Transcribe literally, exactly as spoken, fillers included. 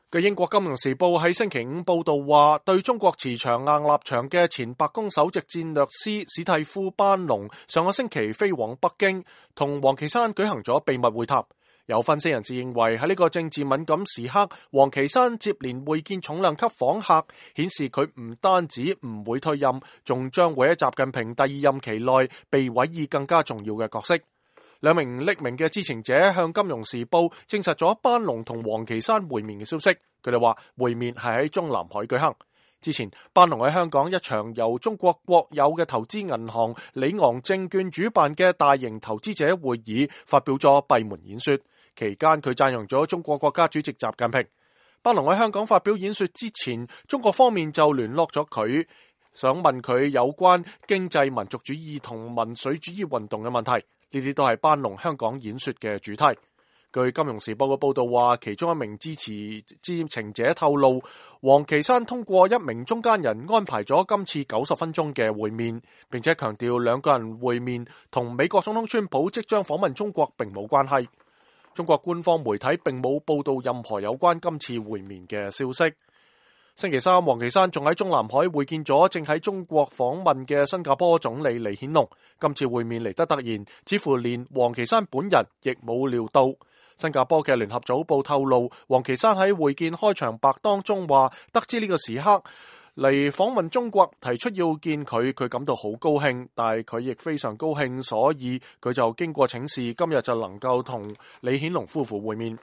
據英國金融時報喺星期五報道話，對中國持長硬立場嘅前白宮首席戰略師史蒂夫·班農上個星期飛往北京，同王岐山舉行咗秘密會談。有分析人士認為，喺呢個政治敏感時刻，王岐山接連會見重量級訪客，顯示佢唔單止唔會退任，仲將會喺習近平第二任期內被委以更加重要嘅角色。兩名匿名嘅知情者向《金融時報》證實咗班農同王岐山會面嘅消息。佢哋話會面係喺中南海舉行。之前班農喺香港一場由中國國有嘅投資銀行里昂證券主辦嘅大型投資者會議發表咗閉門演說，期間佢讚揚咗中國國家主席習近平。班農喺香港發表演說之前，中國方面就聯絡咗佢，想問佢有關經濟民族主義同民粹主義運動嘅問題。呢啲都係班農香港演說嘅主題。據《金融時報》嘅報道話，其中一名支持知情者透露，王岐山通過一名中間人安排咗今次九十分鐘嘅會面，並且強調兩個人會面同美國總統川普即將訪問中國並冇關係。中國官方媒體並冇報道任何有關今次會面嘅消息。星期三，王岐山仲喺中南海會見咗正喺中國訪問嘅新加坡總理李顯龍。今次會面嚟得突然，似乎連王岐山本人亦冇料到。新加坡嘅聯合早報透露，王岐山喺會見開場白當中話，得知呢個時刻嚟訪問中國，提出要見佢，佢感到好高興，但係佢亦非常高興，所以佢就經過請示，今日就能夠同李顯龍夫婦會面。